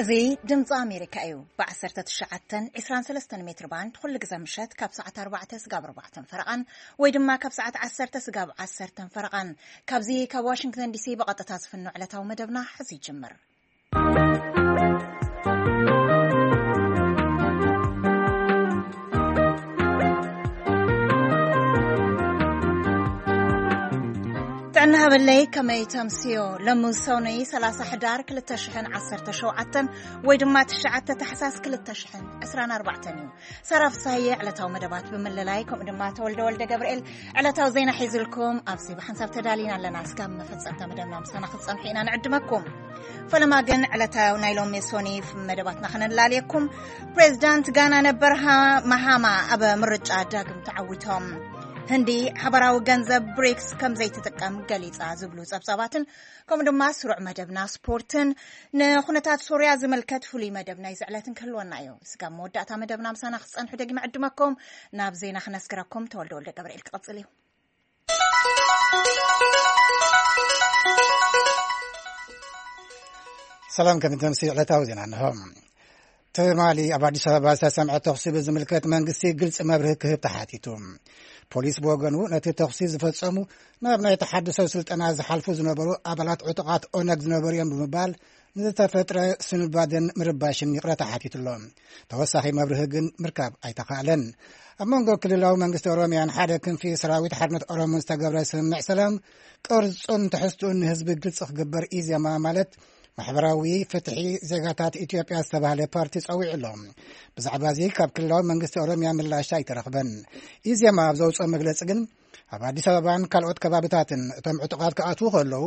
እዚ ድምፂ ኣሜሪካ እዩ። ብ19 23 ሜትር ባንድ ኩሉ ግዜ ምሸት ካብ ሰዓት ኣርባዕተ ስጋብ ኣርባዕተን ፈረቓን ወይ ድማ ካብ ሰዓት ዓሰርተ ስጋብ ዓሰርተን ፈረቓን፣ ካብዚ ካብ ዋሽንግተን ዲሲ ብቐጥታ ዝፍኖ ዕለታዊ መደብና ሕዚ ይጅምር። ጥዕና ሃበለይ፣ ከመይ ተምስዮ? ለሙን ሰውነይ ሰላሳ ሕዳር ክልተ ሽሕን ዓሰርተ ሸውዓተን ወይ ድማ ትሽዓተ ታሕሳስ ክልተ ሽሕን ዕስራን ኣርባዕተን እዩ። ሰራ ፍሳየ ዕለታዊ መደባት ብምልላይ፣ ከምኡ ድማ ተወልደ ወልደ ገብርኤል ዕለታዊ ዜና ሒዝልኩም ኣብዚ ብሓንሳብ ተዳሊና ኣለና። እስካብ መፈጸምታ መደብና ምሳና ክትጸንሑ ኢና ንዕድመኩም። ፈለማ ግን ዕለታዊ ናይ ሎሚ ሶኒፍ መደባትና ከነላልየኩም። ፕሬዚዳንት ጋና ነበር ሃ-፣ ማሃማ ኣብ ምርጫ ዳግም ተዓዊቶም። ህንዲ ሓበራዊ ገንዘብ ብሪክስ ከም ዘይትጥቀም ገሊጻ ዝብሉ ጸብጻባትን ከምኡ ድማ ስሩዕ መደብና ስፖርትን ንኩነታት ሶርያ ዝምልከት ፍሉይ መደብ ናይ ዝዕለትን ክህልወና እዩ። ስጋብ መወዳእታ መደብና ምሳና ክጸንሑ ደጊመ ዕድመኩም ናብ ዜና ክነስግረኩም ተወልደ ወልደ ገብርኤል ክቕጽል እዩ። ሰላም፣ ከም ተምሲ ዕለታዊ ዜና እንሆ። ትማሊ ኣብ ኣዲስ ኣበባ ዝተሰምዐ ተኹሲ ብዝምልከት መንግስቲ ግልፂ መብርሂ ክህብ ተሓቲቱ። ፖሊስ ብወገኑ ነቲ ተኹሲ ዝፈጸሙ ናብ ናይ ተሓድሶ ስልጠና ዝሓልፉ ዝነበሩ ኣባላት ዕጡቓት ኦነግ ዝነበሩ እዮም ብምባል ንዝተፈጥረ ስንባደን ምርባሽን ይቕረታ ሓቲቱ ኣሎ። ተወሳኺ መብርሂ ግን ምርካብ ኣይተኻእለን። ኣብ መንጎ ክልላዊ መንግስቲ ኦሮሚያን ሓደ ክንፊ ሰራዊት ሓርነት ኦሮሞን ዝተገብረ ስምምዕ ሰላም ቅርጹን ትሕዝትኡን ንህዝቢ ግልጺ ክግበር ኢዜማ ማለት ማሕበራዊ ፍትሒ ዜጋታት ኢትዮጵያ ዝተባህለ ፓርቲ ጸዊዑ ኣሎ። ብዛዕባ እዚ ካብ ክልላዊ መንግስቲ ኦሮሚያ ምላሽ ኣይተረኽበን። ኢዜማ ኣብ ዘውፅኦ መግለጺ ግን ኣብ ኣዲስ ኣበባን ካልኦት ከባብታትን እቶም ዕጡቓት ክኣትዉ ከለዉ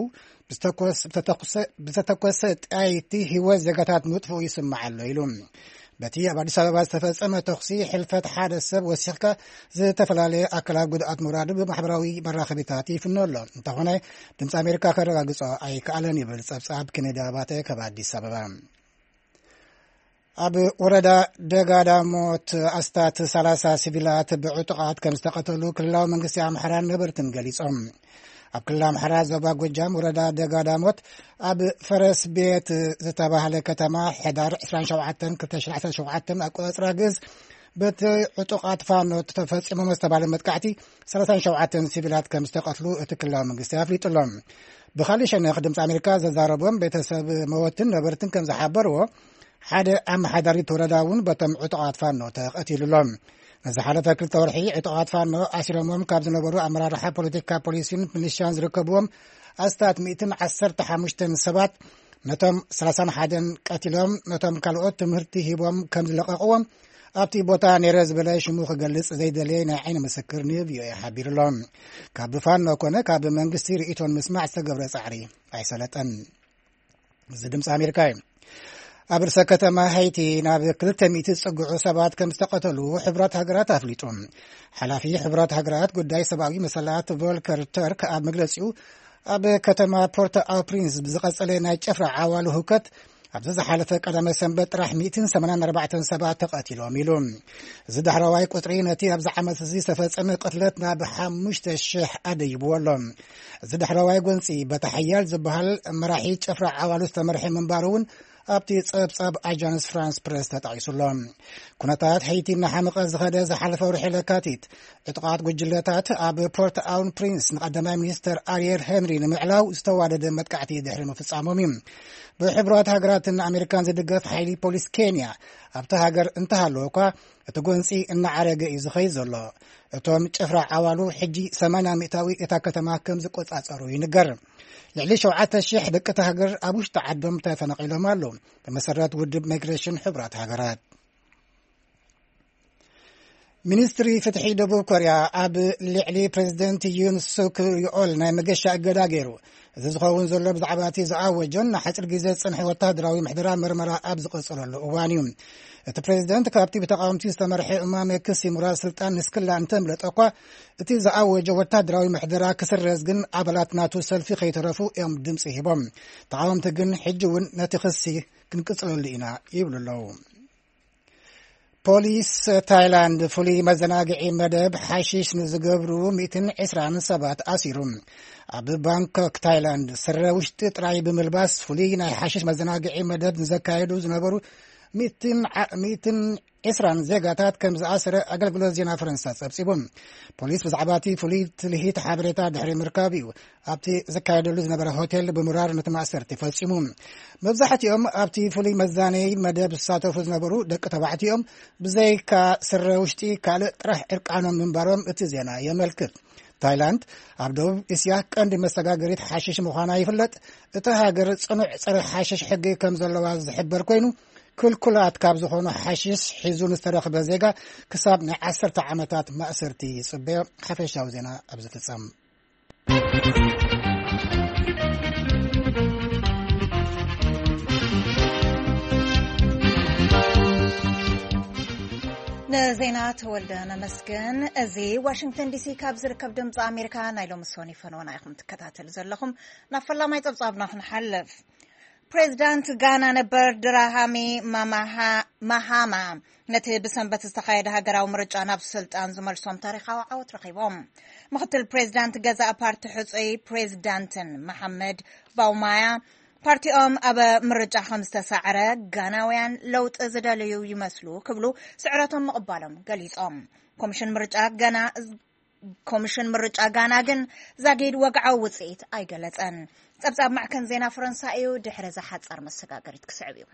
ብዝተኮስ-፣ ብተተኩሰ-፣ ብዝተተኮሰ ጥይት ህይወት ዜጋታት ምጥፍኡ ይስማዕ ኣሎ ኢሉ። በቲ ኣብ ኣዲስ ኣበባ ዝተፈጸመ ተኹሲ ሕልፈት ሓደ ሰብ ወሲኽካ ዝተፈላለየ ኣካላት ጉድኣት ምውራዱ ብማሕበራዊ መራኸቢታት ይፍኖ ኣሎ። እንተኾነ ድምፂ ኣሜሪካ ከረጋግጾ ኣይከኣለን ይብል ጸብጻብ ኬኔዲ ኣባተ ካብ ኣዲስ ኣበባ። ኣብ ወረዳ ደጋዳሞት ኣስታት ሰላሳ ሲቪላት ብዕጡቓት ከም ዝተቐተሉ ክልላዊ መንግስቲ ኣምሓራን ነበርትን ገሊጾም። ኣብ ክልል ኣምሓራ ዞባ ጎጃም ወረዳ ደጋዳሞት ኣብ ፈረስ ቤት ዝተባህለ ከተማ ሕዳር ዕስራን ሸውዓተን ክልተ ሽሕን ዓሰርተ ሸውዓተን ኣቆጻጽራ ግእዝ በቲ ዕጡቓት ፋኖ ተፈጺሞም ዝተባህለ መጥቃዕቲ ሰላሳን ሸውዓተን ሲቪላት ከም ዝተቐትሉ እቲ ክልላዊ መንግስቲ ኣፍሊጡ ኣሎ። ብኻልእ ሸነኽ ድምፂ ኣሜሪካ ዘዛረቦም ቤተሰብ መወትን ነበርትን ከም ዝሓበርዎ ሓደ ኣመሓዳሪ እቲ ወረዳ እውን በቶም ዕጡቓት ፋኖ ተቐቲሉ ኣሎ። ንዝሓለፈ ክልተ ወርሒ ዕጡቓት ፋኖ ኣሲሮሞም ካብ ዝነበሩ ኣመራርሓ ፖለቲካ ፖሊሲን ሚሊሻን ዝርከብዎም ኣስታት ሚእትን ዓሰርተ ሓሙሽተን ሰባት ነቶም ሰላሳን ሓደን ቀቲሎም ነቶም ካልኦት ትምህርቲ ሂቦም ከም ዝለቐቕዎም ኣብቲ ቦታ ነይረ ዝበለ ሽሙ ክገልጽ ዘይደለየ ናይ ዓይኒ ምስክር ንቪኦኤ ሓቢሩ ኣሎ። ካብ ፋኖ ኮነ ካብ መንግስቲ ርእይቶን ምስማዕ ዝተገብረ ጻዕሪ ኣይሰለጠን። እዚ ድምፂ ኣሜሪካ እዩ። ኣብ ርእሰ ከተማ ሃይቲ ናብ ክልተ ሚእቲ ዝጽግዑ ሰባት ከም ዝተቐተሉ ሕብራት ሃገራት ኣፍሊጡ። ሓላፊ ሕብራት ሃገራት ጉዳይ ሰብኣዊ መሰላት ቮልከር ተርክ ኣብ መግለጺኡ ኣብ ከተማ ፖርት ኣው ፕሪንስ ብዝቐጸለ ናይ ጨፍራ ዓዋሉ ህውከት ኣብዚ ዝሓለፈ ቀዳመ ሰንበት ጥራሕ ሚእትን ሰማንያን ኣርባዕተን ሰባት ተቐቲሎም ኢሉ። እዚ ዳሕረዋይ ቁጽሪ ነቲ ኣብዚ ዓመት እዚ ዝተፈጸመ ቅትለት ናብ ሓሙሽተ ሽሕ ኣደይብዎ ኣሎ። እዚ ዳሕረዋይ ጎንጺ በቲ ሓያል ዝበሃል መራሒ ጭፍራ ዓዋሉ ዝተመርሐ ምንባሩ እውን ኣብቲ ጸብጻብ ኣጃንስ ፍራንስ ፕረስ ተጠቒሱ ኣሎ። ኩነታት ሃይቲ እናሓመቐ ዝኸደ ዝሓለፈ ወርሒ ለካቲት ዕጡቓት ጉጅለታት ኣብ ፖርት ኣውን ፕሪንስ ንቀዳማይ ሚኒስተር ኣርየል ሄንሪ ንምዕላው ዝተዋደደ መጥቃዕቲ ድሕሪ ምፍጻሞም እዩ። ብሕቡራት ሃገራትን ኣሜሪካን ዝድገፍ ሓይሊ ፖሊስ ኬንያ ኣብቲ ሃገር እንተሃለወ እኳ እቲ ጎንጺ እናዓረገ እዩ ዝኸይድ ዘሎ። እቶም ጭፍራ ዓዋሉ ሕጂ ሰማንያ ሚእታዊ እታ ከተማ ከም ዝቆጻጸሩ ይንገር። ልዕሊ ሸውዓተ ሽሕ ደቂ እታ ሃገር ኣብ ውሽጢ ዓዶም ተፈናቒሎም ኣለዉ። ብመሰረት ውድብ ማይግሬሽን ሕቡራት ሃገራት ሚኒስትሪ ፍትሒ ደቡብ ኮርያ ኣብ ልዕሊ ፕሬዚደንት ዩን ሱክ ዮኦል ናይ መገሻ እገዳ ገይሩ። እዚ ዝኸውን ዘሎ ብዛዕባ እቲ ዝኣወጆን ንሓፂር ግዜ ዝፀንሐ ወታደራዊ ምሕደራ መርመራ ኣብ ዝቐፀለሉ እዋን እዩ። እቲ ፕሬዚደንት ካብቲ ብተቃወምቲ ዝተመርሐ እማመ ክሲ ምውራድ ስልጣን ንስክላ እንተምለጠ እኳ እቲ ዝኣወጆ ወታደራዊ ምሕደራ ክስረዝ ግን ኣባላት ናቱ ሰልፊ ከይተረፉ እዮም ድምፂ ሂቦም። ተቃወምቲ ግን ሕጂ እውን ነቲ ክሲ ክንቅፅለሉ ኢና ይብሉ ኣለዉ። ፖሊስ ታይላንድ ፍሉይ መዘናግዒ መደብ ሓሺሽ ንዝገብሩ ሚእትን ዕስራን ሰባት ኣሲሩ። ኣብ ባንኮክ ታይላንድ፣ ስረ ውሽጢ ጥራይ ብምልባስ ፍሉይ ናይ ሓሽሽ መዘናግዒ መደብ ንዘካየዱ ዝነበሩ ሚእትን ዓ-፣ ሚእትን ዕስራን ዜጋታት ከም ዝኣሰረ ኣገልግሎት ዜና ፈረንሳ ጸብጺቡ። ፖሊስ ብዛዕባ እቲ ፍሉይ ትልሂት ሓበሬታ ድሕሪ ምርካብ እዩ ኣብቲ ዝካየደሉ ዝነበረ ሆቴል ብምራር ነቲ ማእሰርቲ ፈጺሙ። መብዛሕትኦም ኣብቲ ፍሉይ መዛነዪ መደብ ዝሳተፉ ዝነበሩ ደቂ ተባዕትዮ እዮም። ብዘይካ ስረ ውሽጢ ካልእ ጥራሕ ዕርቃኖም ምንባሮም እቲ ዜና የመልክት። ታይላንድ ኣብ ደቡብ እስያ ቀንዲ መሰጋገሪት ሓሽሽ ምዃና ይፍለጥ። እታ ሃገር ጽኑዕ ጸረ ሓሽሽ ሕጊ ከም ዘለዋ ዝሕበር ኮይኑ፣ ክልኩላት ካብ ዝኾኑ ሓሽሽ ሒዙ ንዝተረኽበ ዜጋ ክሳብ ናይ ዓሰርተ ዓመታት ማእሰርቲ ይጽበዮ። ሓፈሻዊ ዜና ኣብ ዝፍጸም። ንዜና ተወልደ ነመስግን። እዚ ዋሽንግተን ዲሲ ካብ ዝርከብ ድምፂ ኣሜሪካ ናይ ሎሚ ሰኒ ፈነወና ኢኹም ትከታተሉ ዘለኹም። ናብ ፈላማይ ፀብፃብና ክንሓልፍ። ፕሬዚዳንት ጋና ነበር ድራሃሚ ማማሃ-፣ ማሃማ ነቲ ብሰንበት ዝተኻየደ ሃገራዊ ምርጫ ናብ ስልጣን ዝመልሶም ታሪኻዊ ዓወት ረኺቦም። ምኽትል ፕሬዚዳንት ገዛእ ፓርቲ ሕጹይ ፕሬዚዳንትን መሓመድ ባውማያ ፓርቲኦም ኣብ ምርጫ ከም ዝተሳዕረ፣ ጋናውያን ለውጢ ዝደልዩ ይመስሉ ክብሉ ስዕረቶም ምቕባሎም ገሊጾም። ኮሚሽን ምርጫ ጋና፣ ኮሚሽን ምርጫ ጋና ግን ዛጊድ ወግዓዊ ውጽኢት ኣይገለጸን። ጸብጻብ ማዕከን ዜና ፈረንሳ እዩ፣ ድሕሪ እዛ ሓጻር መሰጋገሪት ክስዕብ እዩ።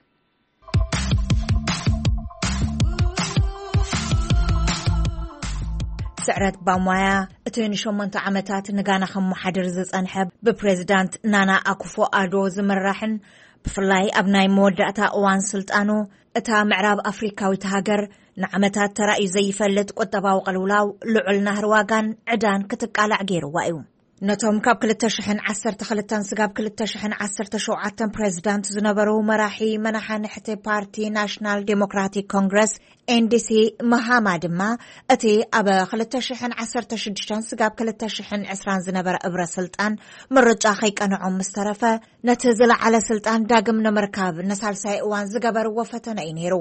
ስዕረት ባሞያ፣ እቲ ንሸሞንተ ዓመታት ንጋና ከመሓድር ዝጸንሐ፣ ብፕሬዚዳንት ናና ኣኩፎ ኣዶ ዝምራሕን ብፍላይ ኣብ ናይ መወዳእታ እዋን ስልጣኑ እታ ምዕራብ ኣፍሪካዊት ሃገር ንዓመታት ተራእዩ ዘይፈልጥ ቁጠባዊ ቅልውላው፣ ልዑል ናህሪ ዋጋን ዕዳን ክትቃላዕ ገይርዋ እዩ። ነቶም ካብ ክልተ ሽሕን ዓሰርተ ክልተን ስጋብ ክልተ ሽሕን ዓሰርተ ሸውዓተን ፕሬዚዳንት ዝነበሩ መራሒ መናሓንሕቲ ፓርቲ ናሽናል ዴሞክራቲክ ኮንግረስ፣ ኤንዲሲ፣ መሃማ ድማ እቲ ኣብ ክልተ ሽሕን ዓሰርተ ሽዱሽተን ስጋብ ክልተ ሽሕን ዕስራን ዝነበረ እብረ ስልጣን ምርጫ ከይቀንዖም ምስ ተረፈ፣ ነቲ ዝለዓለ ስልጣን ዳግም ንምርካብ ንሳልሳይ እዋን ዝገበርዎ ፈተነ እዩ ነይሩ።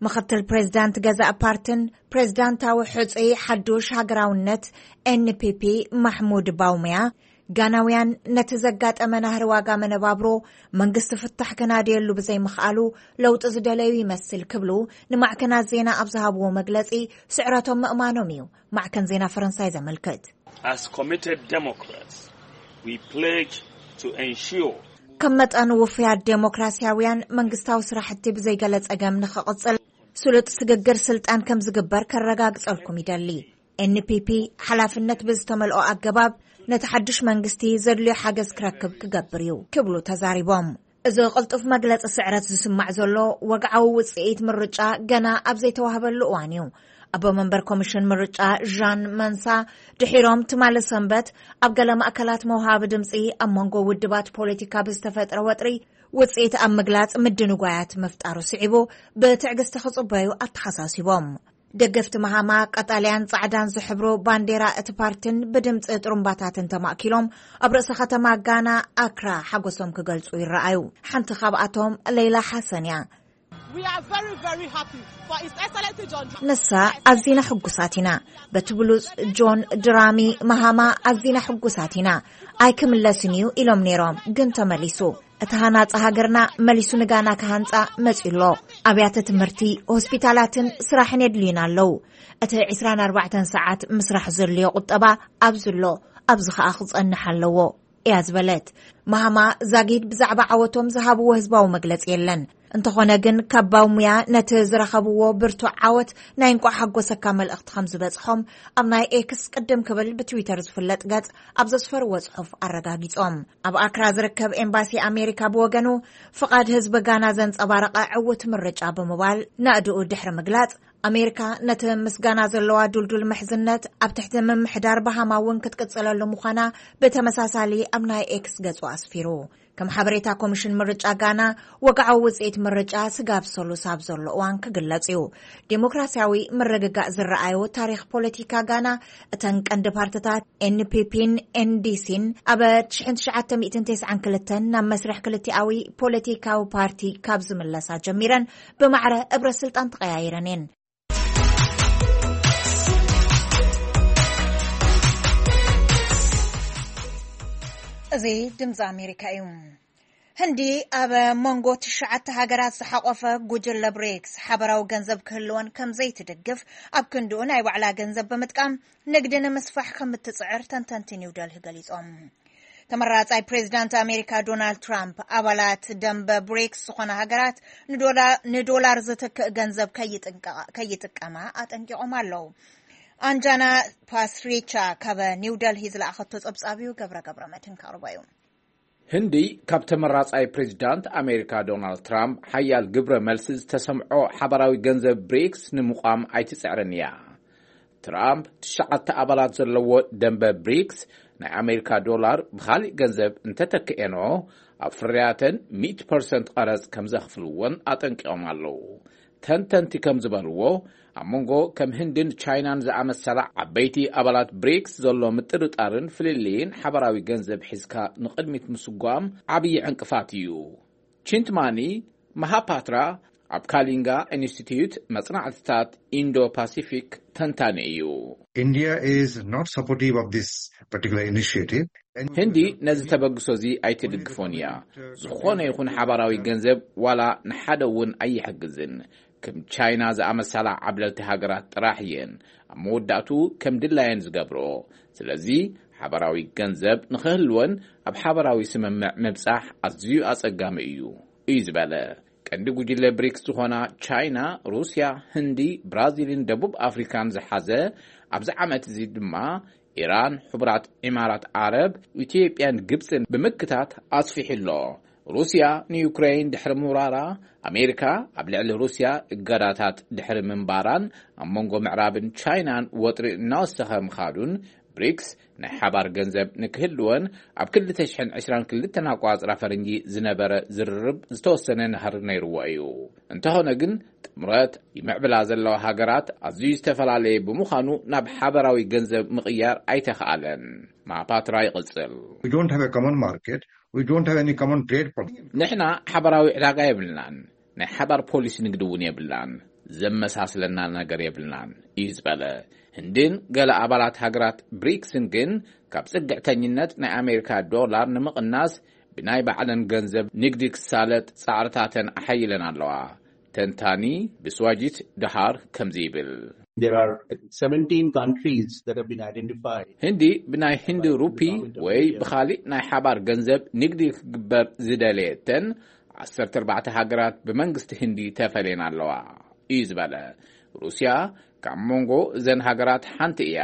ምኽትል ፕሬዚዳንት ገዛእ ፓርትን ፕሬዚዳንታዊ ሕጹይ ሓዱሽ ሃገራውነት ኤንፒፒ ማሕሙድ ባውምያ፣ ጋናውያን ነቲ ዘጋጠመ ናህሪ ዋጋ መነባብሮ መንግስቲ ፍታሕ ከናድየሉ ብዘይምኽኣሉ ለውጢ ዝደለዩ ይመስል ክብሉ ንማዕከናት ዜና ኣብ ዝሃብዎ መግለጺ ስዕረቶም ምእማኖም እዩ ማዕከን ዜና ፈረንሳይ ዘመልክት። As committed Democrats, we pledge to ensure ከም መጠን ውፉያት ዴሞክራሲያውያን መንግስታዊ ስራሕቲ ብዘይገለ ጸገም ንኽቕጽል ስሉጥ ስግግር ስልጣን ከም ዝግበር ከረጋግጸልኩም ይደሊ። ኤንፒፒ ሓላፍነት ብዝተመልኦ ኣገባብ ነቲ ሓድሽ መንግስቲ ዘድልዮ ሓገዝ ክረክብ ክገብር እዩ ክብሉ ተዛሪቦም። እዚ ቅልጡፍ መግለጺ ስዕረት ዝስማዕ ዘሎ ወግዓዊ ውጽኢት ምርጫ ገና ኣብ ዘይተዋህበሉ እዋን እዩ። ኣቦ መንበር ኮሚሽን ምርጫ ዣን መንሳ ድሒሮም ትማሊ ሰንበት ኣብ ገለ ማእከላት መውሃቢ ድምጺ ኣብ መንጎ ውድባት ፖለቲካ ብዝተፈጥረ ወጥሪ ውጽኢት ኣብ ምግላጽ ምድንጓያት ምፍጣሩ ስዒቡ ብትዕግስቲ ክጽበዩ ኣተሓሳሲቦም። ደገፍቲ መሃማ ቀጠልያን ጻዕዳን ዝሕብሩ ባንዴራ እቲ ፓርትን ብድምጺ ጥሩምባታትን ተማእኪሎም ኣብ ርእሰ ከተማ ጋና ኣክራ ሓጎሶም ክገልጹ ይረኣዩ። ሓንቲ ካብኣቶም ሌላ ሓሰን እያ። We are very, very happy for His Excellency John Dramani. ንሳ ኣዚና ሕጉሳት ኢና። በቲ ብሉጽ ጆን ድራሚ መሃማ ኣዚና ሕጉሳት ኢና። ኣይክምለስን እዩ ኢሎም ነይሮም፣ ግን ተመሊሱ። እቲ ሃናጺ ሃገርና መሊሱ ንጋና ክሃንጻ መጺኡ ኣሎ። ኣብያተ ትምህርቲ፣ ሆስፒታላትን ስራሕን የድልዩና ኣለዉ። እቲ ዕስራን ኣርባዕተን ሰዓት ምስራሕ ዘድልዮ ቁጠባ ኣብዚ ኣሎ፣ ኣብዚ ኸኣ ክጸንሕ ኣለዎ እያ ዝበለት። ማሃማ ዛጊድ ብዛዕባ ዓወቶም ዝሃብዎ ህዝባዊ መግለጺ የለን። እንተኾነ ግን ካብ ባውሙያ ነቲ ዝረኸብዎ ብርቱዕ ዓወት ናይ እንቋዕ ሓጎሰካ መልእኽቲ ከም ዝበጽሖም ኣብ ናይ ኤክስ ቅድም ክብል ብትዊተር ዝፍለጥ ገጽ ኣብ ዘስፈርዎ ጽሑፍ ኣረጋጊጾም። ኣብ ኣክራ ዝርከብ ኤምባሲ ኣሜሪካ ብወገኑ ፍቓድ ህዝቢ ጋና ዘንጸባረቐ ዕውት ምርጫ ብምባል ናእድኡ ድሕሪ ምግላጽ፣ ኣሜሪካ ነቲ ምስ ጋና ዘለዋ ዱልዱል ምሕዝነት ኣብ ትሕቲ ምምሕዳር ባሃማ እውን ክትቅጽለሉ ምዃና ብተመሳሳሊ ኣብ ናይ ኤክስ ገጹ ኣስፊሩ። ከም ሓበሬታ ኮሚሽን ምርጫ ጋና፣ ወግዓዊ ውጽኢት ምርጫ ስጋብ ሰሉስ ኣብ ዘሎ እዋን ክግለጽ እዩ። ዴሞክራሲያዊ ምርግጋእ ዝረኣዮ ታሪኽ ፖለቲካ ጋና፣ እተን ቀንዲ ፓርትታት ኤንፒፒን ኤንዲሲን ኣብ ሽሕን ትሽዓተ ሚእትን ተስዓን ክልተን ናብ መስርሕ ክልቲኣዊ ፖለቲካዊ ፓርቲ ካብ ዝምለሳ ጀሚረን ብማዕረ እብረ ስልጣን ተቐያይረን እየን። እዚ ድምፂ ኣሜሪካ እዩ። ህንዲ ኣብ መንጎ ትሽዓተ ሃገራት ዝሓቆፈ ጉጅለ ብሪክስ ሓበራዊ ገንዘብ ክህልወን ከም ዘይትድግፍ፣ ኣብ ክንድኡ ናይ ባዕላ ገንዘብ ብምጥቃም ንግዲ ንምስፋሕ ከም እትጽዕር ተንተንቲ ኒው ደልሂ ገሊጾም። ተመራጻይ ፕሬዚዳንት ኣሜሪካ ዶናልድ ትራምፕ፣ ኣባላት ደንበ ብሪክስ ዝኾና ሃገራት ንዶላ-፣ ንዶላር ዝትክእ ገንዘብ ከይጥንቀ-፣ ከይጥቀማ ኣጠንቂቖም ኣለዉ። ኣንጃና ፓስሪቻ ካብ ኒው ደልሂ ዝለኣኸቶ ጸብጻብ እዩ፣ ገብረ ገብረ መድህን ከቕርቦ እዩ። ህንዲ ካብ ተመራጻይ ፕሬዚዳንት ኣሜሪካ ዶናልድ ትራምፕ ሓያል ግብረ መልሲ ዝተሰምዖ ሓበራዊ ገንዘብ ብሪክስ ንምቋም ኣይትጽዕርን እያ። ትራምፕ ትሽዓተ ኣባላት ዘለዎ ደንበ ብሪክስ ናይ ኣሜሪካ ዶላር ብኻሊእ ገንዘብ እንተተክኤኖ፣ ኣብ ፍርያተን ሚእቲ ፐርሰንት ቀረጽ ከም ዘኽፍልዎን ኣጠንቂቖም ኣለዉ። ተንተንቲ ከም ዝበልዎ፣ ኣብ መንጎ ከም ህንድን ቻይናን ዝኣመሰላ ዓበይቲ ኣባላት ብሪክስ ዘሎ ምጥርጣርን ፍልልይን ሓበራዊ ገንዘብ ሒዝካ ንቕድሚት ምስጓም ዓብዪ ዕንቅፋት እዩ። ቺንትማኒ መሃፓትራ ኣብ ካሊንጋ ኢንስቲትዩት መጽናዕትታት ኢንዶ ፓሲፊክ ተንታኒ እዩ። India is not supportive of this particular initiative. ህንዲ ነዚ ተበግሶ እዚ ኣይትድግፎን እያ። ዝኾነ ይኹን ሓባራዊ ገንዘብ ዋላ ንሓደ እውን ኣይሕግዝን። ከም ቻይና ዝኣመሰላ ዓብለልቲ ሃገራት ጥራሕ እየን ኣብ መወዳእቱ ከም ድላየን ዝገብሮ። ስለዚ ሓባራዊ ገንዘብ ንኽህልወን ኣብ ሓባራዊ ስምምዕ ምብጻሕ ኣዝዩ ኣጸጋሚ እዩ፣ እዩ ዝበለ። ቀንዲ ጉጅለ ብሪክስ ዝኾና ቻይና፣ ሩስያ፣ ህንዲ፣ ብራዚልን ደቡብ ኣፍሪካን ዝሓዘ፣ ኣብዚ ዓመት እዚ ድማ ኢራን፣ ሕቡራት ኢማራት ዓረብ፣ ኢትዮጵያን ግብፅን ብምክታት ኣስፊሑ ኣሎ። ሩስያ ንዩክሬን ድሕሪ ምውራራ፣ ኣሜሪካ ኣብ ልዕሊ ሩስያ እገዳታት ድሕሪ ምንባራን ኣብ መንጎ ምዕራብን ቻይናን ወጥሪ እናወሰኸ ምኻዱን፣ ብሪክስ ናይ ሓባር ገንዘብ ንክህልወን ኣብ ክልተ ሽሕን ዕስራን ክልተን ኣቋፅራ ፈረንጂ ዝነበረ ዝርርብ ዝተወሰነ ናህሪ ነይርዎ እዩ። እንተኾነ ግን፣ ጥምረት ይምዕብላ ዘለዋ ሃገራት ኣዝዩ ዝተፈላለየ ብምዃኑ፣ ናብ ሓባራዊ ገንዘብ ምቕያር ኣይተኽኣለን። ማፓትራ ይቕጽል። We don't have a common market. We don't have any common trade policy. ንሕና ሓባራዊ ዕዳጋ የብልናን፣ ናይ ሓባር ፖሊሲ ንግዲ እውን የብልናን፣ ዘመሳስለና ነገር የብልናን እዩ ዝበለ። ህንድን ገለ ኣባላት ሃገራት ብሪክስን ግን፣ ካብ ጽግዕተኝነት ናይ ኣሜሪካ ዶላር ንምቕናስ ብናይ ባዕለን ገንዘብ ንግዲ ክሳለጥ ጻዕርታተን ኣሓይለን ኣለዋ። ተንታኒ ብስዋጂት ደሃር ከምዚ ይብል። There are seventeen countries that have been identified. ህንዲ ብናይ ህንዲ ሩፒ ወይ ብኻሊእ ናይ ሓባር ገንዘብ ንግዲ ክግበር ዝደለየተን ዓሰርተ ኣርባዕተ ሃገራት ብመንግስቲ ህንዲ ተፈልየን ኣለዋ እዩ ዝበለ። ሩስያ ካብ መንጎ እዘን ሃገራት ሓንቲ እያ።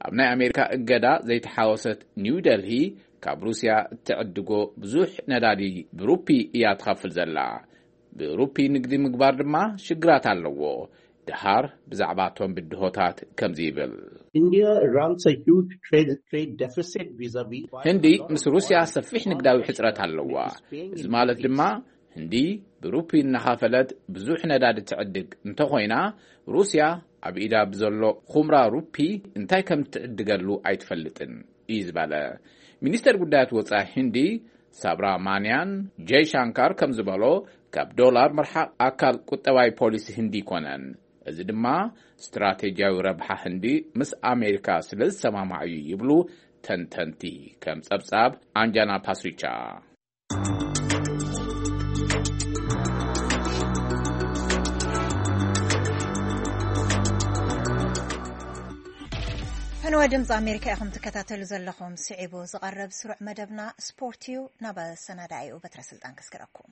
ኣብ ናይ ኣሜሪካ እገዳ ዘይተሓወሰት ኒው ደልሂ፣ ካብ ሩስያ እትዕድጎ ብዙሕ ነዳዲ ብሩፒ እያ ትኸፍል ዘላ። ብሩፒ ንግዲ ምግባር ድማ ሽግራት ኣለዎ። ደሃር ብዛዕባ እቶም ብድሆታት ከምዚ ይብል። India runs a huge trade, trade deficit vis-a-vis. ህንዲ ምስ ሩስያ ሰፊሕ ንግዳዊ ሕጽረት ኣለዋ። እዚ ማለት ድማ፣ ህንዲ ብሩፒ እናኸፈለት ብዙሕ ነዳዲ ትዕድግ እንተኾይና፣ ሩስያ ኣብ ኢዳ ብዘሎ ኹምራ ሩፒ እንታይ ከም ትዕድገሉ ኣይትፈልጥን እዩ ዝበለ። ሚኒስተር ጉዳያት ወጻኢ ህንዲ ሳብራ ማንያን ጀይ ሻንካር ከም ዝበሎ፣ ካብ ዶላር ምርሓቕ ኣካል ቁጠባዊ ፖሊሲ ህንዲ ኣይኮነን። እዚ ድማ ስትራቴጂያዊ ረብሓ ህንዲ ምስ ኣሜሪካ ስለ ዝሰማማዕ እዩ ይብሉ ተንተንቲ፣ ከም ጸብጻብ ኣንጃና ፓስሪቻ። ፈነወ ድምፂ ኣሜሪካ ኢኹም ትከታተሉ ዘለኹም። ስዒቡ ዝቐርብ ስሩዕ መደብና ስፖርት እዩ። ናብ ኣሰናዳኢኡ በትረ ስልጣን ከስግረኩም።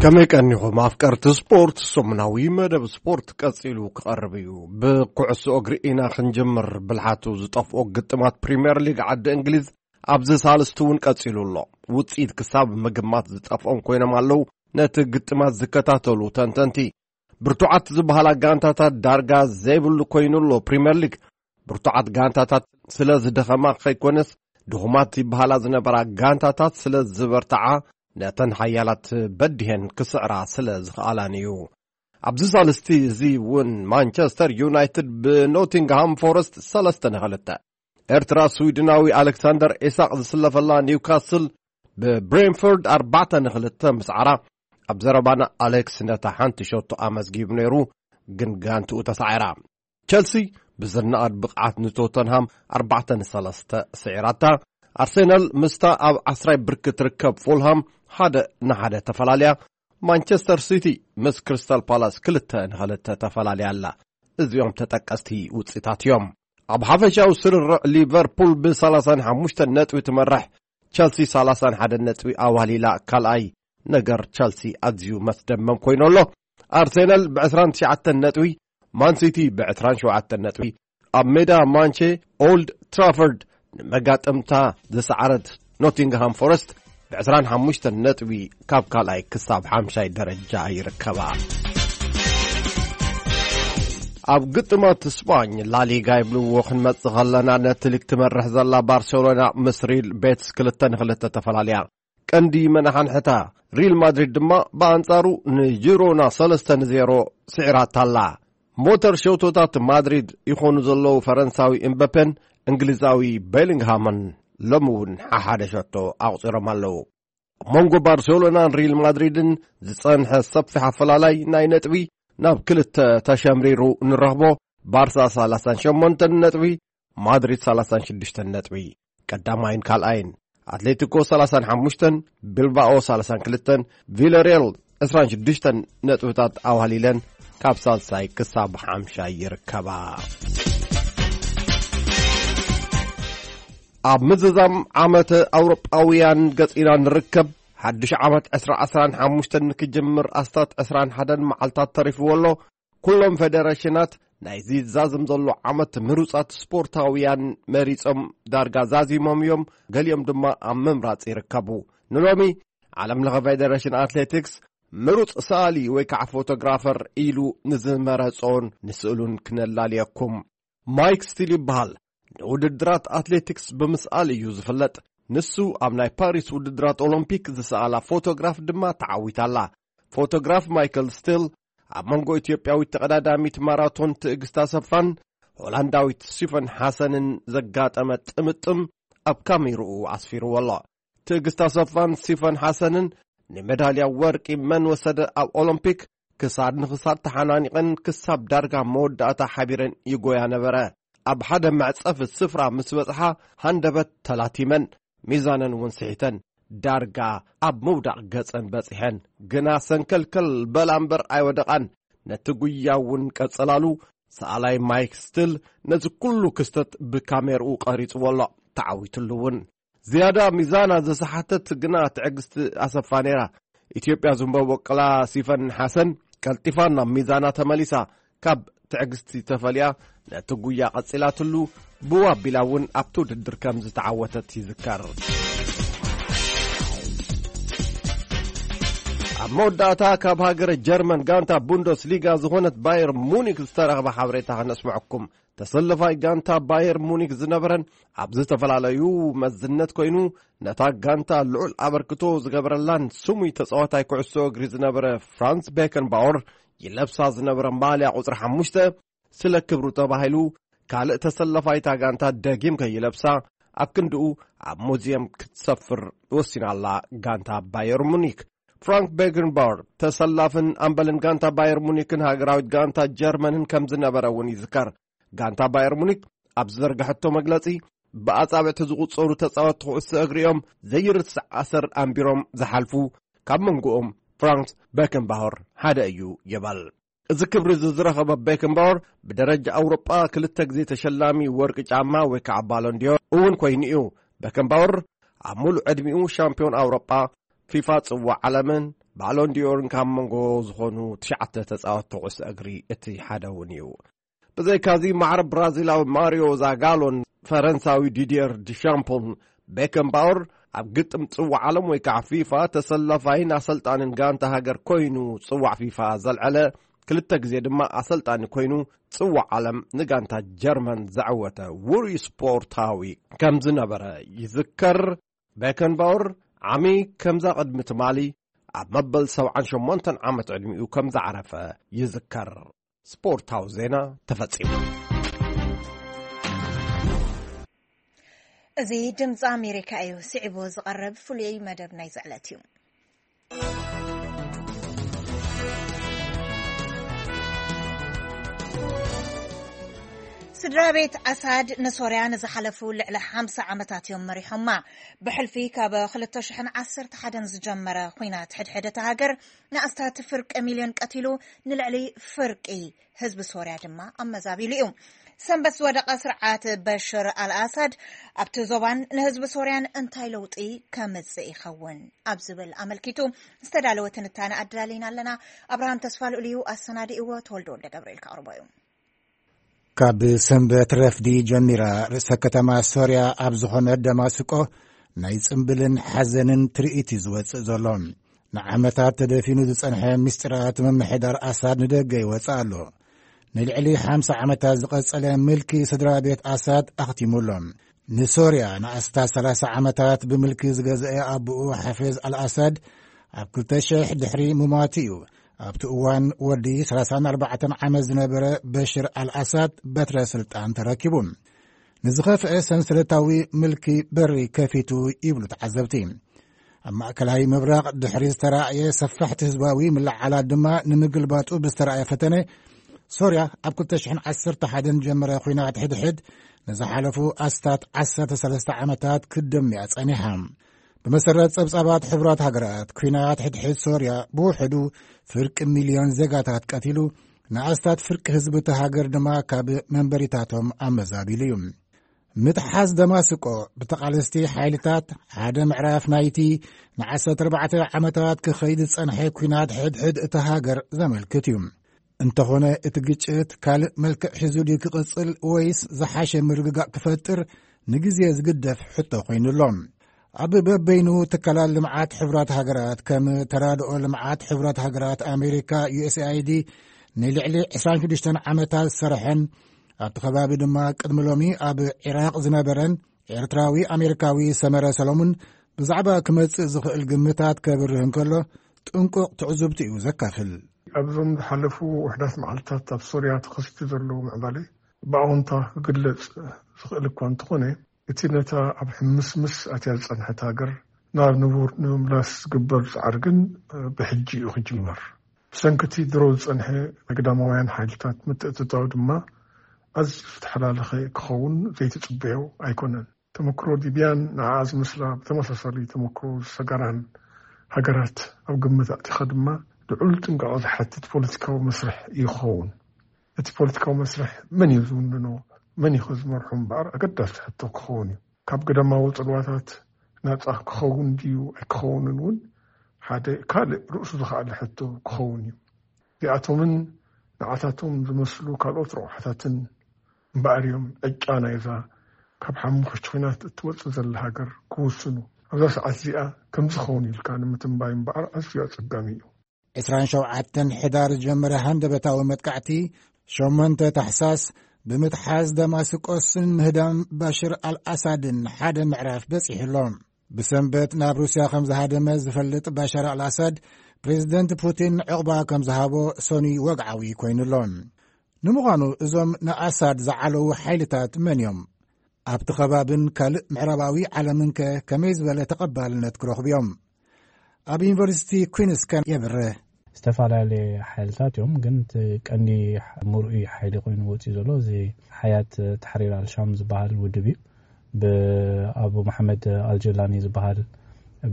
ከመይ ቀኒኹም ኣፍቀርቲ ስፖርት? ሰሙናዊ መደብ ስፖርት ቀጺሉ ክቐርብ እዩ። ብኩዕሶ እግሪ ኢና ክንጅምር። ብልሓቱ ዝጠፍኦ ግጥማት ፕሪምየር ሊግ ዓዲ እንግሊዝ ኣብዚ ሳልስቲ እውን ቀጺሉ ኣሎ። ውጽኢት ክሳብ ምግማት ዝጠፍኦም ኮይኖም ኣለዉ ነቲ ግጥማት ዝከታተሉ ተንተንቲ። ብርቱዓት ዝበሃላ ጋንታታት ዳርጋ ዘይብሉ ኮይኑ ኣሎ ፕሪምየር ሊግ። ብርቱዓት ጋንታታት ስለ ዝደኸማ ከይኮነስ፣ ድኹማት ይበሃላ ዝነበራ ጋንታታት ስለ ዝበርትዓ፣ ነተን ሓያላት በዲሄን ክስዕራ ስለ ዝኸኣላን እዩ። ኣብዚ ሳልስቲ እዚ እውን ማንቸስተር ዩናይትድ ብኖቲንግሃም ፎረስት ሰለስተ ንክልተ፣ ኤርትራ ስዊድናዊ ኣሌክሳንደር ኢሳቕ ዝስለፈላ ኒውካስል ብብሬንፎርድ ኣርባዕተ ንክልተ ምስዓራ፣ ኣብ ዘረባና ኣሌክስ ነታ ሓንቲ ሸቶ ኣመዝጊቡ ነይሩ፣ ግን ጋንትኡ ተሳዒራ። ቸልሲ ብዝነኣድ ብቕዓት ንቶተንሃም ኣርባዕተ ንሰለስተ ስዒራታ። ኣርሴናል ምስታ ኣብ ዓስራይ ብርኪ ትርከብ ፉልሃም ሓደ ንሓደ ተፈላልያ። ማንቸስተር ሲቲ ምስ ክሪስታል ፓላስ ክልተ ንክልተ ተፈላልያ ኣላ። እዚኦም ተጠቀስቲ ውፅኢታት እዮም። ኣብ ሓፈሻዊ ስርርዕ ሊቨርፑል ብ ሰላሳን ሓሙሽተን ነጥቢ ትመርሕ፣ ቸልሲ ሰላሳን ሓደን ነጥቢ ኣዋሊላ ካልኣይ። ነገር ቸልሲ ኣዝዩ መስደመም ኮይኑ ኣሎ። ኣርሴናል ብ ዕስራን ትሽዓተን ነጥቢ፣ ማንሲቲ ብ ዕስራን ሸውዓተን ነጥቢ፣ ኣብ ሜዳ ማንቼ ኦልድ ትራፎርድ ንመጋጠምታ ዝሰዓረት ኖቲንግሃም ፎረስት ብ ዕስራን ሓሙሽተን ነጥቢ ካብ ካልኣይ ክሳብ ሓምሻይ ደረጃ ይርከባ። ኣብ ግጥማት ስፓኝ ላሊጋ ይብልዎ ክንመጽእ ከለና፣ ነቲ ሊግ ትመርሕ ዘላ ባርሴሎና ምስ ሪል ቤትስ ክልተ ንክልተ ተፈላልያ። ቀንዲ መናሓንሕታ ሪል ማድሪድ ድማ ብኣንጻሩ ንጂሮና ሰለስተ ንዜሮ ስዒራታ ኣላ። ሞተር ሸውቶታት ማድሪድ ይኾኑ ዘለዉ ፈረንሳዊ እምበፔን እንግሊዛዊ ቤሊንግሃምን ሎሚ እውን ሓሓደ ሸቶ ኣቑጺሮም ኣለዉ። ኣብ መንጎ ባርሴሎናን ሪል ማድሪድን ዝጸንሐ ሰፊሕ ኣፈላላይ ናይ ነጥቢ ናብ ክልተ ተሸምሪሩ ንረኽቦ። ባርሳ ሰላሳን ሸሞንተን ነጥቢ፣ ማድሪድ ሰላሳን ሽዱሽተን ነጥቢ ቀዳማይን ካልኣይን፣ ኣትሌቲኮ ሰላሳን ሓሙሽተን፣ ቢልባኦ ሰላሳን ክልተን፣ ቪላሪያል ዕስራን ሽዱሽተን ነጥብታት ኣዋህሊለን ካብ ሳልሳይ ክሳብ ሓምሻይ ይርከባ። ኣብ ምዝዛም ዓመት ኣውሮጳውያን ገጺና ንርከብ። ሓድሽ ዓመት ዕስራ ዕስራን ሓሙሽተን ንክጅምር ኣስታት ዕስራን ሓደን መዓልታት ተሪፍዎ ኣሎ። ኩሎም ፌደሬሽናት ናይዚ ዝዛዘም ዘሎ ዓመት ምሩጻት ስፖርታውያን መሪጾም ዳርጋ ዛዚሞም እዮም። ገሊኦም ድማ ኣብ ምምራጽ ይርከቡ። ንሎሚ ዓለም ለኸ ፌደሬሽን ኣትሌቲክስ ምሩጽ ሰኣሊ ወይ ከዓ ፎቶግራፈር ኢሉ ንዝመረጾን ንስእሉን ክነላልየኩም። ማይክ ስቲል ይበሃል። ንውድድራት ኣትሌቲክስ ብምስኣል እዩ ዝፍለጥ። ንሱ ኣብ ናይ ፓሪስ ውድድራት ኦሎምፒክ ዝሰኣላ ፎቶግራፍ ድማ ተዓዊታላ። ፎቶግራፍ ማይክል ስቲል ኣብ መንጎ ኢትዮጵያዊት ተቐዳዳሚት ማራቶን ትዕግስት ኣሰፋን ሆላንዳዊት ሲፈን ሓሰንን ዘጋጠመ ጥምጥም ኣብ ካሜርኡ ኣስፊርዎ ኣሎ። ትዕግስት ኣሰፋን ሲፈን ሓሰንን ንሜዳልያ ወርቂ መን ወሰደ ኣብ ኦሎምፒክ ክሳድ ንኽሳድ ተሓናኒቐን ክሳብ ዳርጋ መወዳእታ ሓቢረን ይጎያ ነበረ። ኣብ ሓደ መዕጸፊ ስፍራ ምስ በጽሓ ሃንደበት ተላቲመን፣ ሚዛነን እውን ስሒተን ዳርጋ ኣብ ምውዳቕ ገጸን በጺሐን። ግና ሰንከልከል በላ እምበር ኣይወደቓን። ነቲ ጉያ እውን ቀጸላሉ። ሰኣላይ ማይክ ስቲል ነዚ ኩሉ ክስተት ብካሜርኡ ቀሪጽዎ ኣሎ፣ ተዓዊትሉ እውን። ዝያዳ ሚዛና ዝሰሓተት ግና ትዕግስቲ ኣሰፋ ነይራ። ኢትዮጵያ ዝንበቦ ቅላ ሲፈን ሓሰን ቀልጢፋ ናብ ሚዛና ተመሊሳ። ካብ ትዕግስቲ ተፈልያ ነቲ ጉያ ቀጺላትሉ፣ ብው ኣቢላ እውን ኣብቲ ውድድር ከም ዝተዓወተት ይዝከር። ኣብ መወዳእታ ካብ ሃገረ ጀርመን ጋንታ ቡንደስ ሊጋ ዝኾነት ባየር ሙኒክ ዝተረኽበ ሓበሬታ ከነስምዐኩም። ተሰለፋይ ጋንታ ባየር ሙኒክ ዝነበረን ኣብ ዝተፈላለዩ መዝነት ኮይኑ ነታ ጋንታ ልዑል ኣበርክቶ ዝገበረላን ስሙይ ተጻዋታይ ኩዕሶ እግሪ ዝነበረ ፍራንስ ቤከንባወር ይለብሳ ዝነበረ ማልያ ቁጽሪ ሓሙሽተ ስለ ክብሩ ተባሂሉ ካልእ ተሰለፋይታ ጋንታ ደጊም ከይለብሳ ኣብ ክንድኡ ኣብ ሙዚየም ክትሰፍር ወሲናላ ጋንታ ባየር ሙኒክ። ፍራንክ ቤከንባወር ተሰላፍን ኣምበልን ጋንታ ባየር ሙኒክን ሃገራዊት ጋንታ ጀርመንን ከም ዝነበረ እውን ይዝከር። ጋንታ ባየር ሙኒክ ኣብ ዝዘርግሐቶ መግለጺ፣ ብኣጻብዕቲ ዝቑጸሩ ተጻወትቲ ኩዕሶ እግሪ እዮም ዘይርስዕ ኣሰር ኣንቢሮም ዝሓልፉ፣ ካብ መንጎኦም ፍራንስ ቤከንባወር ሓደ እዩ ይበል። እዚ ክብሪ እዚ ዝረኸበ ቤከንባወር ብደረጃ ኣውሮጳ ክልተ ግዜ ተሸላሚ ወርቂ ጫማ ወይ ከዓ ባሎን ዲዮር እውን ኮይኑ እዩ። ቤከንባወር ኣብ ሙሉእ ዕድሚኡ ሻምፒዮን ኣውሮጳ፣ ፊፋ ጽዋዕ ዓለምን ባሎን ዲዮርን ካብ መንጎ ዝኾኑ ትሽዓተ ተጻወትቲ ኩዕሶ እግሪ እቲ ሓደ እውን እዩ። ብዘይካዚ ማዕረ ብራዚላዊ ማሪዮ ዛጋሎን ፈረንሳዊ ዲዲየር ዲሻምፖን ቤከንባወር ኣብ ግጥም ጽዋዕ ዓለም ወይ ከዓ ፊፋ ተሰላፋይን ኣሰልጣንን ጋንታ ሃገር ኮይኑ ጽዋዕ ፊፋ ዘልዐለ፣ ክልተ ግዜ ድማ ኣሰልጣኒ ኮይኑ ጽዋዕ ዓለም ንጋንታ ጀርመን ዘዐወተ ውሩይ ስፖርታዊ ከም ዝነበረ ይዝከር። ቤከንባወር ዓሚ ከምዛ ቅድሚ ትማሊ ኣብ መበል ሰብዓን ሸሞንተን ዓመት ዕድሚኡ ከም ዝዓረፈ ይዝከር። ስፖርታዊ ዜና ተፈጺሙ። እዚ ድምፂ ኣሜሪካ እዩ። ስዒቡ ዝቐርብ ፍሉይ መደብ ናይዚ ዕለት እዩ። ስድራ ቤት ኣሳድ ንሶርያ ንዝሓለፉ ልዕሊ ሓምሳ ዓመታት እዮም መሪሖማ። ብሕልፊ ካብ ክልተ ሽሕን ዓሰርተ ሓደን ዝጀመረ ኲናት ሕድሕድ እታ ሃገር፣ ንኣስታት ፍርቂ ሚልዮን ቀቲሉ፣ ንልዕሊ ፍርቂ ህዝቢ ሶርያ ድማ ኣመዛቢሉ እዩ። ሰንበት ዝወደቐ ስርዓት በሽር ኣልኣሳድ ኣብቲ ዞባን ንህዝቢ ሶርያን እንታይ ለውጢ ከምጽእ ይኸውን ኣብ ዝብል ኣመልኪቱ ዝተዳለወ ትንታነ ኣዳሊና ኣለና። ኣብርሃም ተስፋ ልኡል እዩ ኣሰናዲእዎ፣ ተወልደ ወልደ ገብርኤል ከቕርቦ እዩ። ካብ ሰንበት ረፍዲ ጀሚራ ርእሰ ከተማ ሶርያ ኣብ ዝኾነት ደማስቆ ናይ ጽምብልን ሓዘንን ትርኢት እዩ ዝወጽእ ዘሎ። ንዓመታት ተደፊኑ ዝጸንሐ ምስጢራት ምምሕዳር ኣሳድ ንደገ ይወጽእ ኣሎ። ንልዕሊ ሓምሳ ዓመታት ዝቐጸለ ምልኪ ስድራ ቤት ኣሳድ ኣኽቲሙ ኣሎ። ንሶርያ ንኣስታት ሰላሳ ዓመታት ብምልኪ ዝገዝአ ኣቦኡ ሓፌዝ ኣልኣሳድ ኣብ ክልተ ሽሕ ድሕሪ ምማቱ እዩ ኣብቲ እዋን ወዲ ሰላሳን ኣርባዕተን ዓመት ዝነበረ በሽር ኣልኣሳድ በትረ ስልጣን ተረኪቡ። ንዝኸፍአ ሰንሰለታዊ ምልኪ በሪ ከፊቱ ይብሉ ተዓዘብቲ። ኣብ ማእከላይ ምብራቕ ድሕሪ ዝተራእየ ሰፋሕቲ ህዝባዊ ምልዓላት ድማ ንምግልባጡ ብዝተራእየ ፈተነ ሶርያ ኣብ ክልተ ሽሕን ዓሰርተ ሓደን ጀመረ ኲናት ሕድሕድ ንዝሓለፉ ኣስታት ዓሰርተ ሰለስተ ዓመታት ክትደምያ ጸኒሓ። ብመሰረት ጸብጻባት ሕቡራት ሃገራት፣ ኲናት ሕድሕድ ሶርያ ብውሕዱ ፍርቂ ሚልዮን ዜጋታት ቀቲሉ፣ ንኣስታት ፍርቂ ህዝቢ እቲ ሃገር ድማ ካብ መንበሪታቶም ኣመዛቢሉ እዩ። ምትሓዝ ደማስቆ ብተቓለስቲ ሓይልታት ሓደ ምዕራፍ ናይቲ ንዓሰርተ ኣርባዕተ ዓመታት ክኸይድ ዝጸንሐ ኲናት ሕድሕድ እታ ሃገር ዘመልክት እዩ። እንተኾነ እቲ ግጭት ካልእ መልክዕ ሒዙ ድዩ ክቕጽል ወይስ ዝሓሸ ምርግጋእ ክፈጥር ንግዜ ዝግደፍ ሕቶ ኮይኑ ኣሎ። ኣብ በበይኑ ትካላት ልምዓት ሕቡራት ሃገራት ከም ተራድኦ ልምዓት ሕቡራት ሃገራት ኣሜሪካ፣ ዩ ኤስ ኤ ኣይ ዲ፣ ንልዕሊ ዕስራን ሽዱሽተን ዓመታት ዝሰርሐን ኣብቲ ከባቢ ድማ ቅድሚ ሎሚ ኣብ ዒራቕ ዝነበረን ኤርትራዊ ኣሜሪካዊ ሰመረ ሰሎሙን ብዛዕባ ክመጽእ ዝኽእል ግምታት ከብርህ እንከሎ ጥንቁቕ ትዕዝብቲ እዩ ዘካፍል። ኣብዞም ዝሓለፉ ውሕዳት መዓልታት ኣብ ሶርያ ተኸሲቱ ዘሎ ምዕባለ ብኣወንታ ክግለጽ ዝኽእል እኳ እንተኾነ፣ እቲ ነታ ኣብ ሕምስምስ ኣትያ ዝጸንሐት ሃገር ናብ ንቡር ንምምላስ ዝግበር ጻዕሪ ግን ብሕጂ እዩ ክጅመር። ብሰንኪ እቲ ድሮ ዝጸንሐ ናይ ግዳማውያን ሓይልታት ምትእትታው ድማ ኣዝዩ ዝተሓላለኸ ክኸውን ዘይትጽበዮ ኣይኮነን። ተመክሮ ሊብያን ንዓኣ ዝመስላ ብተመሳሳሊ ተመክሮ ዝሰገራን ሃገራት ኣብ ግምት ኣእቲኻ ድማ ልዑል ጥንቃቐ ዝሓትት ፖለቲካዊ መስርሕ እዩ ክኸውን። እቲ ፖለቲካዊ መስርሕ መን እዩ ዝውንኖ፣ መን እዩ ዝመርሖ እምበኣር ኣገዳሲ ሕቶ ክኸውን እዩ። ካብ ግዳማዊ ጽልዋታት ናጻ ክኸውን ድዩ ኣይክኸውንን እውን ሓደ ካልእ ርእሱ ዝኸኣለ ሕቶ ክኸውን እዩ። እዚኣቶምን ንዓታቶም ዝመስሉ ካልኦት ረቑሓታትን እምበኣር እዮም ዕጫ ናይዛ ካብ ሓሙኽሽቲ ኲናት እትወጽእ ዘላ ሃገር ክውስኑ። ኣብዛ ሰዓት እዚኣ ከምዚ ክኸውን ኢልካ ንምትንባይ እምበኣር ኣዝዩ ኣጸጋሚ እዩ። ዕስራን ሸውዓተን ሕዳር ዝጀመረ ሃንደበታዊ መጥቃዕቲ ሸሞንተ ታሕሳስ ብምትሓዝ ደማስቆስን ምህዳም ባሽር ኣልኣሳድን ሓደ ምዕራፍ በጺሑ ኣሎ። ብሰንበት ናብ ሩስያ ከም ዝሃደመ ዝፈልጥ ባሻር ኣልኣሳድ፣ ፕሬዚደንት ፑቲን ዕቑባ ከም ዝሃቦ ሰኑይ ወግዓዊ ኮይኑ ኣሎ። ንምዃኑ እዞም ንኣሳድ ዝዓለዉ ሓይልታት መን እዮም? ኣብቲ ከባብን ካልእ ምዕራባዊ ዓለምንከ ከመይ ዝበለ ተቐባልነት ክረኽቡ እዮም? ኣብ ዩኒቨርሲቲ ኩንስ ከ የብርህ። ዝተፈላለየ ሓይልታት እዮም፣ ግን እቲ ቀንዲ ምርኡይ ሓይሊ ኮይኑ ወፂኡ ዘሎ እዚ ሓያት ተሕሪር ኣልሻም ዝበሃል ውድብ እዩ። ብኣቡ መሓመድ ኣልጀላኒ ዝበሃል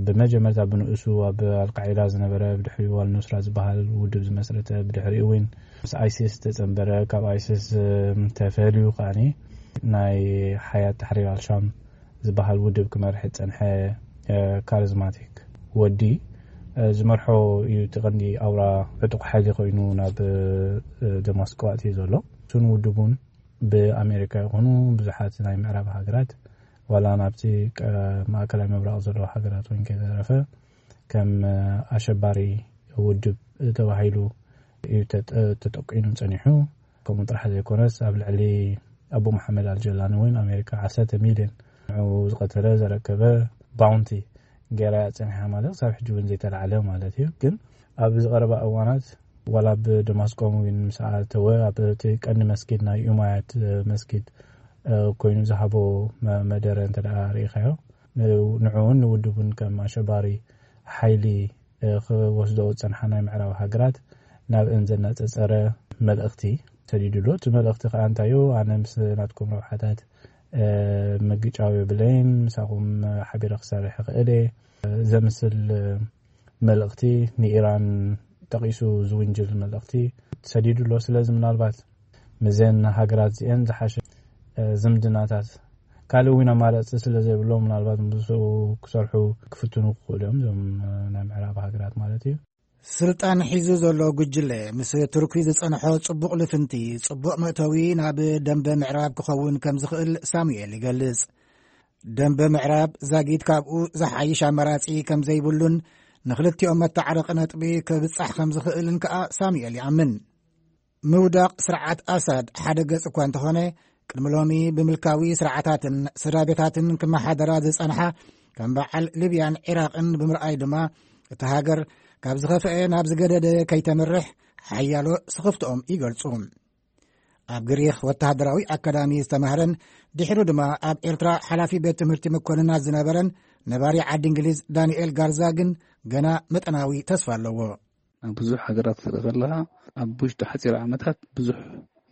ብመጀመርታ ብንእሱ ኣብ ኣልቃዒዳ ዝነበረ፣ ብድሕሪኡ ኣልኑስራ ዝበሃል ውድብ ዝመስረተ፣ ብድሕሪኡ እውን ምስ ኣይሲስ ተጸንበረ፣ ካብ ኣይሲስ ተፈልዩ ከዓኒ ናይ ሓያት ተሕሪር ኣልሻም ዝበሃል ውድብ ክመርሕ ዝጸንሐ ካሪዝማቲክ ወዲ ዝመርሖ እዩ። እቲ ቀንዲ ኣውራ ዕጡቕ ሓይሊ ኮይኑ ናብ ደማስቆ ኣትዩ ዘሎ። እሱን ውድቡን ብኣሜሪካ ይኹኑ ብዙሓት ናይ ምዕራብ ሃገራት፣ ዋላ ናብቲ ማእከላይ ምብራቕ ዘለዉ ሃገራት እውን ከይተረፈ ከም ኣሸባሪ ውድብ ተባሂሉ እዩ ተጠቂኑ ጸኒሑ። ከምኡ ጥራሕ ዘይኮነስ፣ ኣብ ልዕሊ ኣቡ መሓመድ ኣልጀላኒ እውን ኣሜሪካ ዓሰርተ ሚልዮን ንዕኡ ዝቐተለ ዘረከበ ባውንቲ ገይራ እያ ጸኒሓ፣ ማለት ክሳብ ሕጂ እውን ዘይተላዕለ ማለት እዩ። ግን ኣብ ዝቐረባ እዋናት ዋላ ኣብ ደማስቆ እውን ምስ ኣተወ፣ ኣብ እቲ ቀንዲ መስጊድ ናይ ኡማያት መስጊድ ኮይኑ ዝሃቦ መደረ እንተ ደኣ ርኢኻዮ፣ ንዕኡን ንውድቡን ከም ኣሸባሪ ሓይሊ ክወስዶ ዝጸንሓ ናይ ምዕራብ ሃገራት ናብአን ዘነጻጸረ መልእኽቲ ሰዲዱ ኣሎ። እቲ መልእኽቲ ከዓ እንታይ እዩ? ኣነ ምስ ናትኩም ረብሓታት ምግጫው የብለይን፣ ምሳኹም ሓቢረ ክሰርሕ ይኽእል እየ ዘምስል መልእኽቲ፣ ንኢራን ጠቒሱ ዝውንጅል መልእኽቲ ሰዲዱ ኣሎ። ስለዚ ምናልባት ምዘን ሃገራት እዚአን ዝሓሸ ዝምድናታት፣ ካልእ እውን ኣማራፂ ስለ ዘይብሎ፣ ምናልባት ምስኡ ክሰርሑ ክፍትኑ ክኽእሉ እዮም፣ እዞም ናይ ምዕራብ ሃገራት ማለት እዩ። ስልጣን ሒዙ ዘሎ ጉጅለ ምስ ቱርኪ ዝጸንሖ ጽቡቕ ልፍንቲ ጽቡቕ መእተዊ ናብ ደንበ ምዕራብ ክኸውን ከም ዝኽእል ሳሙኤል ይገልጽ። ደንበ ምዕራብ ዛጊት ካብኡ ዝሓይሽ ኣማራጺ ከም ዘይብሉን ንኽልቲኦም መተዓረቂ ነጥቢ ክብጻሕ ከም ዝኽእልን ከኣ ሳሙኤል ይኣምን። ምውዳቕ ስርዓት ኣሳድ ሓደ ገጽ እኳ እንተኾነ፣ ቅድሚ ሎሚ ብምልካዊ ስርዓታትን ስድራ ቤታትን ክመሓደራ ዝጸንሓ ከም በዓል ሊብያን ዒራቕን ብምርኣይ ድማ፣ እቲ ሃገር ካብ ዝኸፍአ ናብ ዝገደደ ከይተምርሕ ሓያሎ ስኽፍትኦም ይገልጹ። ኣብ ግሪኽ ወተሃደራዊ ኣካዳሚ ዝተማህረን ድሕሩ ድማ ኣብ ኤርትራ ሓላፊ ቤት ትምህርቲ መኮንናት ዝነበረን ነባሪ ዓዲ እንግሊዝ ዳንኤል ጋርዛ ግን ገና መጠናዊ ተስፋ ኣለዎ። ኣብ ብዙሕ ሃገራት ክትርኢ ከለኻ፣ ኣብ ውሽጢ ሓፂር ዓመታት ብዙሕ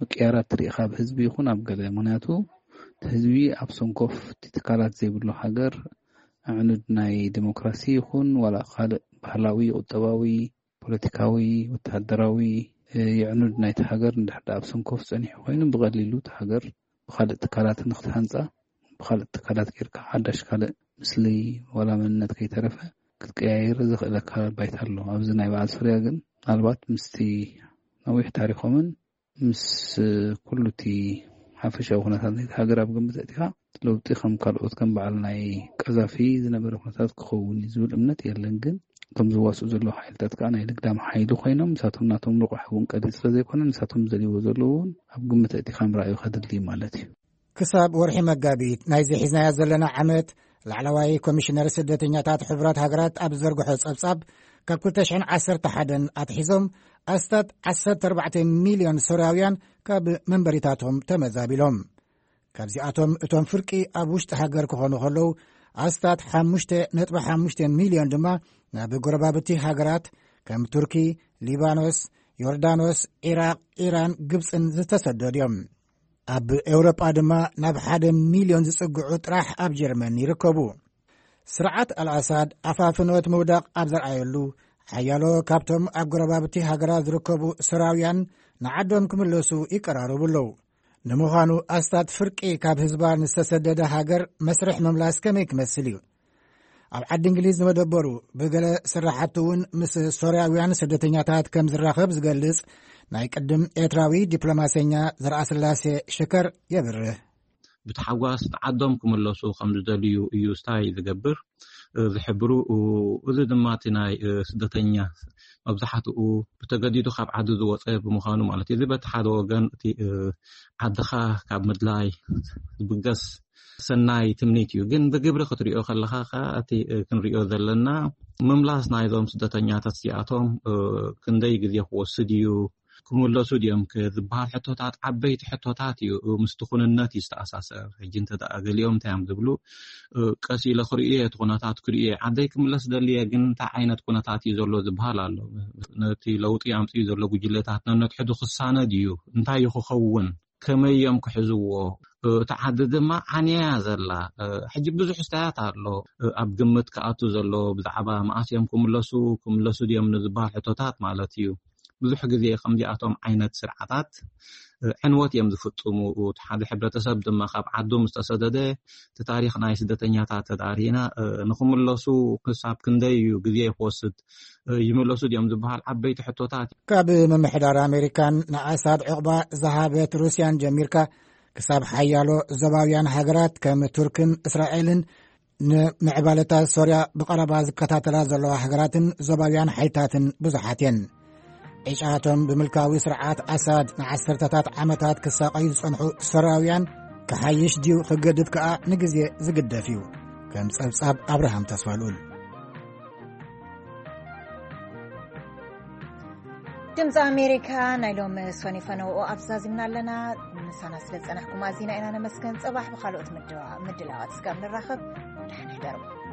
ምቅያራት ትርኢ፣ ካብ ህዝቢ ይኹን ኣብ ገለ። ምክንያቱ እቲ ህዝቢ ኣብ ሰንኮፍ እቲ ትካላት ዘይብሉ ሃገር፣ ኣዕኑድ ናይ ዲሞክራሲ ይኹን ዋላ ካልእ ባህላዊ፣ ቁጠባዊ፣ ፖለቲካዊ፣ ወተሃደራዊ፣ የዕኑድ ናይቲ ሃገር እንድሕር ደኣ ኣብ ሰንኮፍ ጸኒሑ ኮይኑ፣ ብቐሊሉ እቲ ሃገር ብኻልእ ትካላት ንክትሃንጻ፣ ብኻልእ ትካላት ጌርካ ሓዳሽ ካልእ ምስሊ ዋላ መንነት ከይተረፈ ክትቀያየር ዘኽእለካ ባይታ ኣሎ። ኣብዚ ናይ በዓል ሶርያ ግን ምናልባት ምስቲ ነዊሕ ታሪኾምን ምስ ኩሉ እቲ ሓፈሻዊ ኩነታት ናይቲ ሃገር ኣብ ግምት ኣእቲኻ፣ ለውጢ ከም ካልኦት ከም በዓል ናይ ቀዛፊ ዝነበረ ኩነታት ክኸውን እዩ ዝብል እምነት የለን። ግን እቶም ዝዋስኡ ዘለዉ ሓይልታት ከዓ ናይ ልግዳም ሓይሊ ኮይኖም፣ ንሳቶም ናቶም ልቑሕ እውን ቀሊል ስለ ዘይኮነ፣ ንሳቶም ዝደልይዎ ዘለዉ እውን ኣብ ግምት ኣእቲኻ ምርኣዩ ከድሊ እዩ ማለት እዩ። ክሳብ ወርሒ መጋቢት ናይዚ ሒዝናዮ ዘለና ዓመት፣ ላዕለዋይ ኮሚሽነር ስደተኛታት ሕቡራት ሃገራት ኣብ ዝዘርግሖ ጸብጻብ፣ ካብ ክልተ ሽሕን ዓሰርተ ሓደን ኣትሒዞም ኣስታት ዓሰርተ ኣርባዕተ ሚልዮን ሶርያውያን ካብ መንበሪታቶም ተመዛቢሎም። ካብዚኣቶም እቶም ፍርቂ ኣብ ውሽጢ ሃገር ክኾኑ ከለዉ፣ ኣስታት ሓሙሽተ ነጥቢ ሓሙሽተ ሚልዮን ድማ ናብ ጎረባብቲ ሃገራት ከም ቱርኪ፣ ሊባኖስ፣ ዮርዳኖስ፣ ዒራቕ፣ ኢራን፣ ግብጽን ዝተሰደዱ እዮም። ኣብ ኤውሮጳ ድማ ናብ ሓደ ሚልዮን ዝጽግዑ ጥራሕ ኣብ ጀርመን ይርከቡ። ስርዓት ኣልኣሳድ ኣፋፍኖት ምውዳቕ ኣብ ዘርኣየሉ፣ ሓያሎ ካብቶም ኣብ ጎረባብቲ ሃገራት ዝርከቡ ሶርያውያን ንዓዶም ክምለሱ ይቀራረቡ ኣለዉ። ንምዃኑ ኣስታት ፍርቂ ካብ ህዝባ ንዝተሰደደ ሃገር መስርሕ ምምላስ ከመይ ክመስል እዩ? ኣብ ዓዲ እንግሊዝ ዝመደበሩ ብገለ ስራሕቱ እውን ምስ ሶርያውያን ስደተኛታት ከም ዝራኸብ ዝገልጽ ናይ ቅድም ኤርትራዊ ዲፕሎማሰኛ ዘርኣስላሴ ሽከር የብርህ። ብተሓጓስ ንዓዶም ክምለሱ ከም ዝደልዩ እዩ ስታይ ዝገብር፣ ዝሕብሩ። እዚ ድማ እቲ ናይ ስደተኛ መብዛሕትኡ ብተገዲዱ ካብ ዓዲ ዝወፀ ብምዃኑ ማለት እዩ። እዚ በቲ ሓደ ወገን እቲ ዓድኻ ካብ ምድላይ ዝብገስ ሰናይ ትምኒት እዩ። ግን ብግብሪ ክትሪኦ ከለኻ ከዓ እቲ ክንሪኦ ዘለና ምምላስ ናይዞም ስደተኛታት እዚኣቶም ክንደይ ግዜ ክወስድ እዩ፣ ክምለሱ ድዮም ዝበሃል ሕቶታት ዓበይቲ ሕቶታት እዩ። ምስቲ ኩንነት እዩ ዝተኣሳሰር። ሕጂ እንተ ደኣ ገሊኦም እንታይ እዮም ዝብሉ፣ ቀስ ኢለ ክርእዮ እየ፣ እቲ ኩነታት ክርእዮ እየ። ዓደይ ክምለስ ደልየ፣ ግን እንታይ ዓይነት ኩነታት እዩ ዘሎ ዝበሃል ኣሎ። ነቲ ለውጢ ኣምፅኡ ዘሎ ጉጅለታት ነነትሕዱ ክሳነድ እዩ። እንታይ እዩ ክኸውን? ከመይ እዮም ክሕዝዎ? እቲ ዓዲ ድማ ዓንያ እያ ዘላ። ሕጂ ብዙሕ ስታያት ኣሎ ኣብ ግምት ክኣቱ ዘሎ፣ ብዛዕባ መኣስ እዮም ክምለሱ፣ ክምለሱ ድዮም ንዝበሃል ሕቶታት ማለት እዩ። ብዙሕ ግዜ ከምዚኣቶም ዓይነት ስርዓታት ዕንወት እዮም ዝፍፅሙ። እቲ ሓደ ሕብረተሰብ ድማ ካብ ዓዱ ምስ ተሰደደ፣ እቲ ታሪኽ ናይ ስደተኛታት ተዳሪና ንክምለሱ ክሳብ ክንደይ እዩ ግዜ ክወስድ፣ ይምለሱ ድዮም ዝበሃል ዓበይቲ ሕቶታት። ካብ ምምሕዳር ኣሜሪካን ንኣሳድ ዕቑባ ዝሃበት ሩስያን ጀሚርካ፣ ክሳብ ሓያሎ ዞባውያን ሃገራት ከም ቱርክን እስራኤልን፣ ንምዕባለታት ሶርያ ብቐረባ ዝከታተላ ዘለዋ ሃገራትን ዞባውያን ሓይልታትን ብዙሓት እየን። ዕጫቶም ብምልካዊ ስርዓት ኣሳድ ንዓሰርተታት ዓመታት ክሳቐዩ ዝጸንሑ ሶርያውያን፣ ክሓይሽ ድዩ ክገድፍ ከኣ ንግዜ ዝግደፍ እዩ። ከም ጸብጻብ ኣብርሃም ተስፋልኡል። ድምፂ ኣሜሪካ ናይ ሎሚ ሶኒ ፈነውኦ ኣብዛዚምና ኣለና። ምሳና ስለ ዝፀናሕኩም ኣዚና ኢና ነመስገን። ፅባሕ ብካልኦት ምድዋ- ምድላዋት እስካብ ንራኸብ፣ ደሓን ሕደሩ።